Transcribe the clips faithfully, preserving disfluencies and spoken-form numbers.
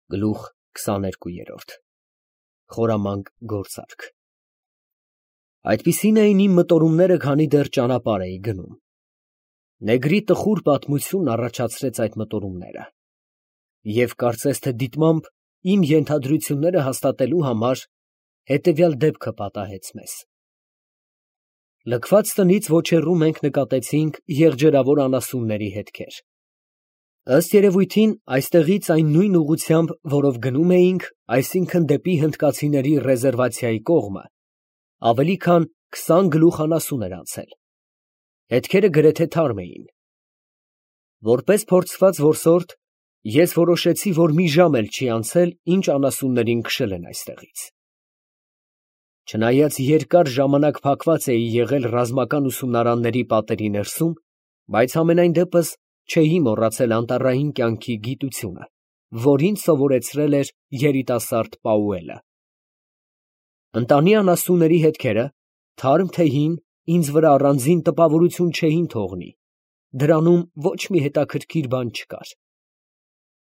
Գլուխ քսաներկու Խորամանկ գործարք Այդպիսին էին իմ մտորումները, քանի դեռ ճանապարհ էի գնում։ Նեգրի տխուր պատմությունն առաջացրեց այդ մտորումները, և կարծես թե դիտմամբ իմ ենթադրությունները հաստատելու համար հետևյալ դեպքը պատահեց մեզ. Լքված տնից ոչ հեռու մենք նկատեցինք եղջերավոր անասունների հետքեր։ Ըստ երևույթին, այստեղից այն նույն ուղղությամբ, որով գնում էինք, այսինքն դեպի հնդկացիների ռեզերվացիայի կողմը, ավելի քան քսան գլուխ անասուն էր անցել։ Հետքերը գրեթե թարմ էին։ Որպես փորձված որսորդ, ես որոշեցի, որ մի ժամ էլ չի անցել, ինչ անասուններին քշել են այստեղից։ Չնայած երկար ժամանակ փակված էի եղել ռազմական ուսումնարանների պատերի ներսում, բայց համենայն դեպս չէի մոռացել անտառային կյանքի գիտությունը, որ ինձ սովորեցրել էր երիտասարդ Պաուելը։ Ընտանի անասունների հետքերը, թարմ թե հին, ինձ վրա առանձին տպավորություն չէին թողնի, դրանում ոչ մի հետաքրքիր բան չկար։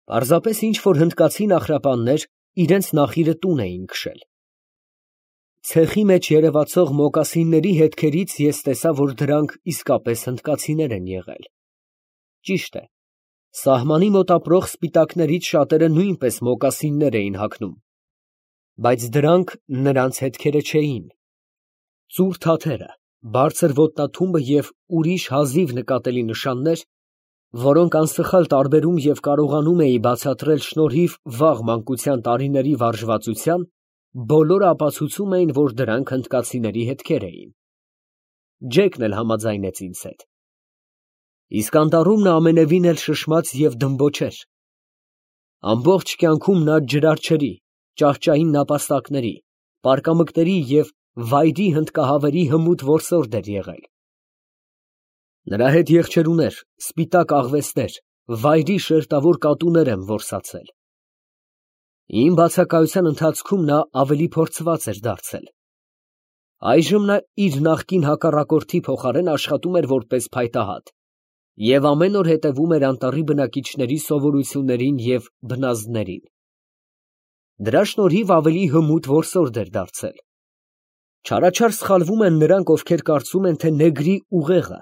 Պարզապես ինչ֊որ հնդկացի նախրապաններ իրենց նախիրը տուն էին քշել։ Ցեխի մեջ երևացող մոկասինների հետքերից ես տեսա, որ դրանք իսկապես հնդկացիներ են եղել։ Ճիշտ է, սահմանի մոտ ապրող սպիտակներից շատերը նույնպես մոկասիններ էին հագնում, բայց դրանք նրանց հետքերը չէին։ Ծուռ թաթերը, բարձր ոտնաթումբը և ուրիշ հազիվ նկատելի նշաններ, որոնք անսխալ տարբերում և կարողանում էի բացատրել շնորհիվ վաղ մանկության տարիների վարժվածության, բոլորը ապացուցում էին, որ դրանք հնդկացիների հետքեր էին։ Ջեկն էլ համաձայնեց ինձ հետ։ Իսկ անտառում նա ամենևին էլ շշմած և դմբոչեր։ Ամբողջ կյանքում նա ջրարչերի, ճահճային նապաստակների, պարկամկների և վայրի հնդկահավերի հմուտ որսորդ էր եղել։ Նրա հետ եղջերուներ, սպիտակ աղվեսներ, վայրի շերտավոր կատուներ եմ որսացել։ Իմ բացակայության ընթացքում նա ավելի փորձված էր դարձել։ Այժմ նա իր նախկին հակառակորդի փոխարեն աշխատում էր որպես փայտահատ և ամեն օր հետևում էր անտառի բնակիչների սովորություններին և բնազդներին։ Դրա շնորհիվ ավելի հմուտ որսորդ էր դարձել։ Չարաչար սխալվում են նրանք, ովքեր կարծում են, թե նեգրի ուղեղը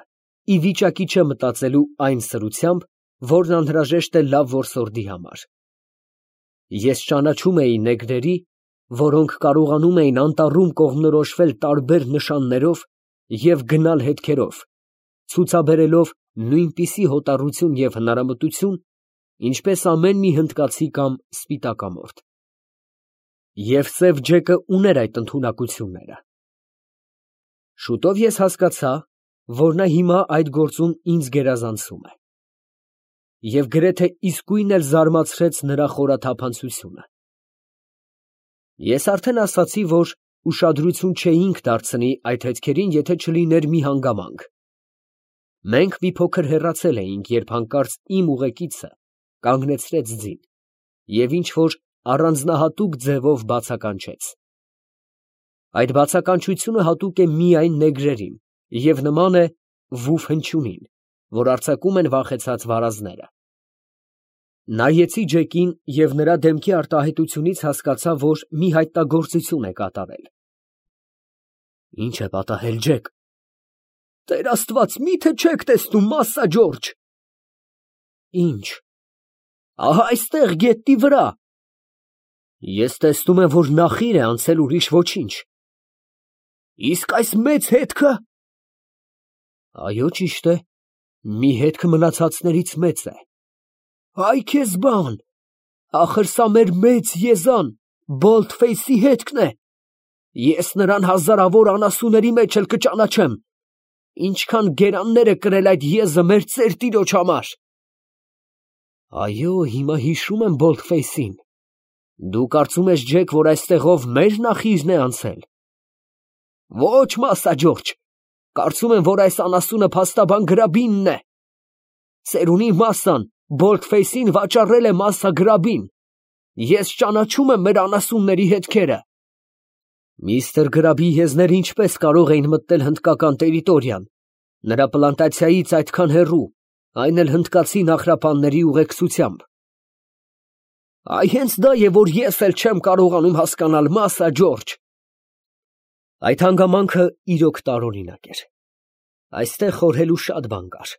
ի վիճակի չէ մտածելու այն սրությամբ, որն անհրաժեշտ է լավ որսորդի համար։ Ես ճանաչում էի նեգրերի, որոնք կարողանում էին անտառում կողմնորոշվել տարբեր նշաններով և գնալ հետքերով, ցուցաբերելով նույնպիսի հոտառություն և հնարամտություն, ինչպես ամեն մի հնդկացի կամ սպիտակամորթ։ Եվ սև Ջեկը ուներ այդ ընդունակությունները։ Շուտով ես հասկացա, որ նա հիմա այդ գործում ինձ գերազանցում է։ Եվ գրեթե իսկույն էլ զարմացրեց նրա խորաթափանցությունը։ Ես արդեն ասացի, որ ուշադրություն չէինք դարձնի այդ հետքերին, եթե չլիներ մի հանգամանք։ Մենք մի փոքր հեռացել էինք, երբ հանկարծ իմ ուղեկիցը կանգնեցրեց ձին և ինչ֊որ առանձնահատուկ ձևով բացականչեց։ Այդ բացականչությունը հատուկ է միայն նեգրերին և նման է վուֆ հնչյունին, որ արձակում են վախեցած վարազները։ Նայեցի Ջեկին և նրա դեմքի արտահայտությունից հասկացա, որ մի հայտնագործություն է կատարել։ Ի՞նչ է պատահել, Ջեք։ Տեր Աստված, մի՞թե չեք տեսնում, Մասսա Ջորջ։ Ի՞նչ։ Ահա այստեղ, գետնի վրա։ Ես տեսնում եմ, որ նախիր է անցել, ուրիշ ոչինչ։ Իսկ այս մեծ հետքը։ Այո, ճիշտ է, մի հետք մնացածներից մեծ է։ Այ քեզ բան, ախր սա մեր մեծ եզան, Բոլթֆեյսի հետքն է։ Ես նրան հազարավոր անասունների մեջ էլ կճանաչեմ։ Ինչքան գերաններ է կրել այդ եզը մեր ծեր֊տիրոջ համար։ Այո, հիմա հիշում եմ Բոլթֆեյսին։ Դու կարծում ես, Ջեք, որ այստեղով մեր նախիրն է անցել։ Ոչ, Մասսա Ջորջ, կարծում եմ, որ այս անասունը փաստաբան Գրաբինն է։ Ծերունի Մասսան Բոլթֆեյսին վաճառել է Մասսա Գրաբին։ Ես ճանաչում եմ մեր անասունների հետքերը։ Միստր Գրաբի եզները ինչպես կարող էին մտնել հնդկական տերիտորիան, նրա պլանտացիայից այդքան հեռու, այն էլ հնդկացի նախրապանների ուղեկցությամբ։ Այ հենց դա է, որ ես էլ չեմ կարողանում հասկանալ, Մասա Ջորջ։ Այդ հանգամանքը իրոք տարօրինակ էր։ Այստեղ խորհելու շատ բան կար։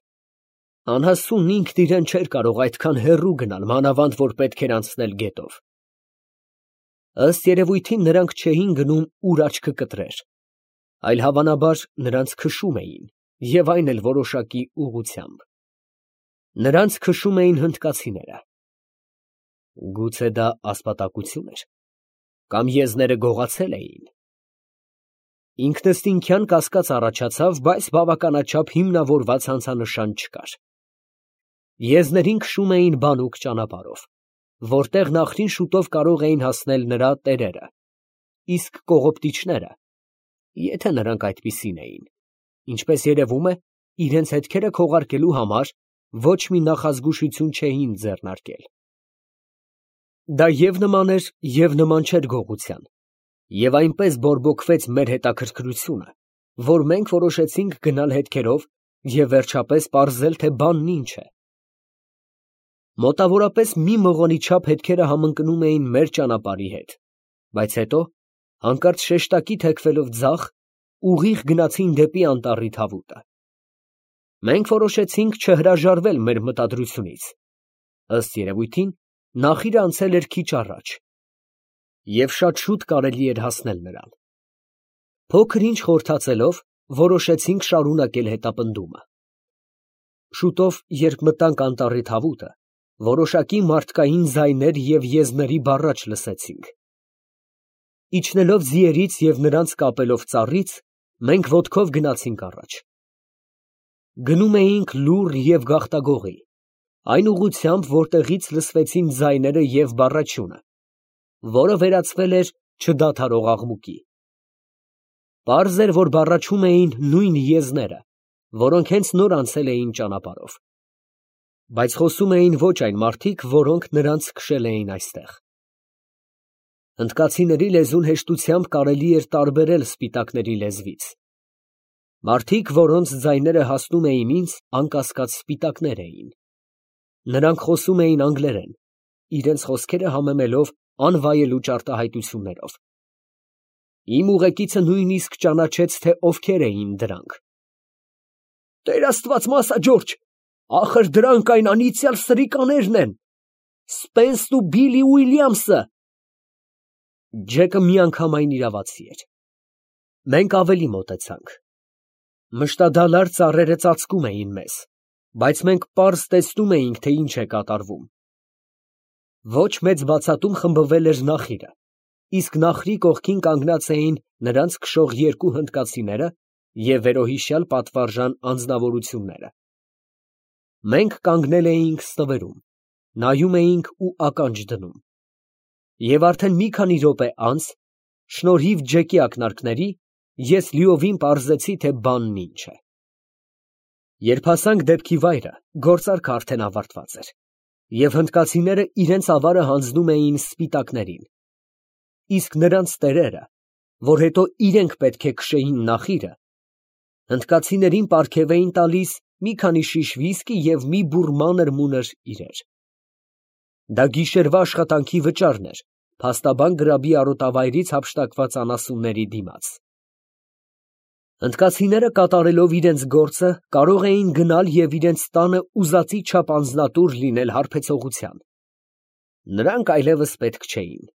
Անհասունն ինքն իրեն չէր կարող այդքան հեռու գնալ, մանավանդ որ պետք էր անցնել գետով։ Ըստ երևույթին նրանք չէին գնում ուր աչքը կտրեր, այլ հավանաբար նրանց քշում էին, և այն էլ որոշակի ուղղությամբ։ Նրանց քշում էին հնդկացիները։ Գուցե դա ասպատակություն էր, կամ եզները գողացել էին։ Ինքնըստինքյան կասկած առաջացավ, բայց բավականաչափ հիմնավորված հանցանշան չկար։ Եզներին քշում էին բանուկ ճանապարհով, որտեղ նախրին շուտով կարող էին հասնել նրա տերերը, իսկ կողոպտիչները, եթե նրանք այդպիսին էին, ինչպես երևում է, իրենց հետքերը քողարկելու համար ոչ մի նախազգուշություն չէին ձեռնարկել։ Դա և նման էր, և նման չէր գողության, և այնպես բորբոքվեց մեր հետաքրքրությունը, որ մենք որոշեցինք գնալ հետքերով և վերջապես պարզել, թե բանն ինչ է։ Մոտավորապես մի մղոնի չափ հետքերը համընկնում էին մեր ճանապարհի հետ, բայց հետո, հանկարծ շեշտակի թեքվելով ձախ, ուղիղ գնացին դեպի անտառի թավուտը։ Մենք որոշեցինք չհրաժարվել մեր մտադրությունից։ Ըստ երևույթին, նախիրը անցել էր քիչ առաջ, և շատ շուտ կարելի էր հասնել նրան։ Փոքր ինչ խորհրդածելով, որոշեցինք շարունակել հետապնդումը։ Շուտով, երբ մտանք անտառի թավուտը, որոշակի մարդկային ձայներ և եզների բառաչ լսեցինք։ Իջնելով ձիերից և նրանց կապելով ծառից, մենք ոտքով գնացինք առաջ։ Գնում էինք լուռ և գաղտագողի, այն ուղղությամբ, որտեղից լսվեցին ձայները և բառաչյունը, որը վերածվել էր չդադարող աղմուկի։ Պարզ էր, որ բառաչում էին նույն եզները, որոնք հենց նոր անցել էին ճանապարհով, բայց խոսում էին ոչ այն մարդիկ, որոնք նրանց քշել էին այստեղ։ Հնդկացիների լեզուն հեշտությամբ կարելի էր տարբերել սպիտակների լեզվից։ Մարդիկ, որոնց ձայները հասնում էին ինձ, անկասկած սպիտակներ էին։ Նրանք խոսում էին անգլերեն, իրենց խոսքերը համեմելով անվայելուչ արտահայտություններով։ Իմ ուղեկիցը նույնիսկ ճանաչեց, թե ովքեր էին դրանք։ Տեր Աստված, Մասա Ջորջ, ախր դրանք այն անիծյալ սրիկաներն են, Սպենսն ու Բիլի Ուիլյամսը։ Ջեկը միանգամայն իրավացի էր։ Մենք ավելի մոտեցանք։ Մշտադալար ծառերը ծածկում էին մեզ, բայց մենք պարզ տեսնում էինք, թե ինչ է կատարվում։ Ոչ մեծ բացատում խմբվել էր նախիրը, իսկ նախրի կողքին կանգնած էին նրանց քշող երկու հնդկացիները և վերոհիշյալ պատվարժան անձնավորությունները։ Մենք կանգնել էինք ստվերում, նայում էինք ու ականջ դնում։ Եվ արդեն մի քանի րոպե անց, շնորհիվ Ջեկի ակնարկների, ես լիովին պարզեցի, թե բանն ինչ է։ Երբ հասանք դեպքի վայրը, գործարքը արդեն ավարտված էր, և հնդկացիները իրենց ավարը հանձնում էին սպիտակներին, իսկ նրանց տերերը, որ հետո իրենք պետք է քշեին նախիրը, հնդկացիներին պարգև էին տալիս մի քանի շիշ վիսկի և մի բուռ մանր մունր իրեր։ Դա գիշերվա աշխատանքի վճարն էր փաստաբան գրաբի արոտավայրից հափշտակված անասունների դիմաց։ Հնդկացիները կատարելով իրենց գործը կարող էին գնալ և իրենց տանը ուզածի չափ անձնատուր լինել հարբեցողության։ Նրանք այլևս պետք չէին։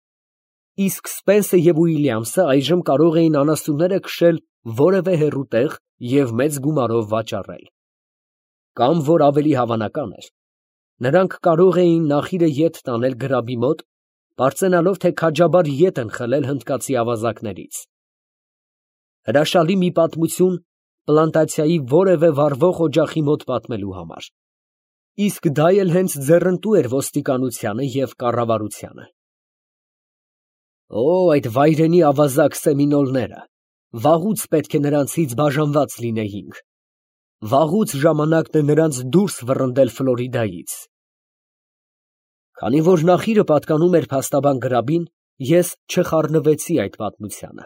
Իսկ Սպենսը և Ուիլյամսը այժմ կարող էին անասունները քշել որևէ հեռու տեղ և մեծ գումարով վաճառել։ Կամ, որ ավելի հավանական էր, նրանք կարող էին նախիրը ետ տանել գրաբի մոտ, պարծենալով, թե քաջաբար ետ են խլել հնդկացի ավազակներից։ Հրաշալի մի պատմություն պլանտացիայի որևէ վառվող օջախի մոտ պատմելու համար, իսկ դա էլ հենց ձեռնտու էր ոստիկանությանը և կառավարությանը։ Օ, այդ վայրենի ավազակ սեմինոլները, վաղուց պետք է նրանցից բաժանված լինեինք, վաղուց ժամանակն է նրանց դուրս վռնդել Ֆլորիդայից։ Քանի որ նախիրը պատկանում էր փաստաբան գրաբին, ես չխառնվեցի այդ պատմությանը։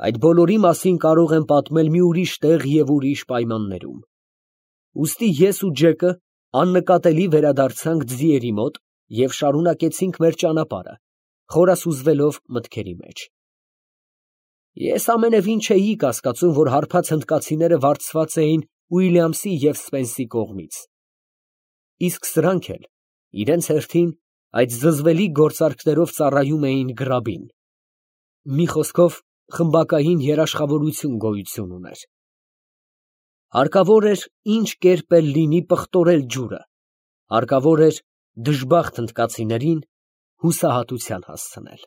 Այդ բոլորի մասին կարող եմ պատմել մի ուրիշ տեղ և ուրիշ պայմաններում։ Ուստի ես ու Ջեկը աննկատելի վերադարձանք ձիերի մոտ և շարունակեցինք մեր ճանապարհը, խորասուզվելով մտքերի մեջ։ Ես ամենևին չէի կասկածում, որ հարբած հնդկացիները վարձված էին Ուիլյամսի և Սպենսի կողմից, իսկ սրանք էլ իրենց հերթին այդ զզվելի գործարքներով ծառայում էին գրաբին, մի խոսքով, խմբակային երաշխավորություն գոյություն ուներ։ Հարկավոր էր ինչ կերպ էլ լինի պղտորել ջուրը, հարկավոր էր դժբախտ հնդկացիներին հուսահատության հասցնել։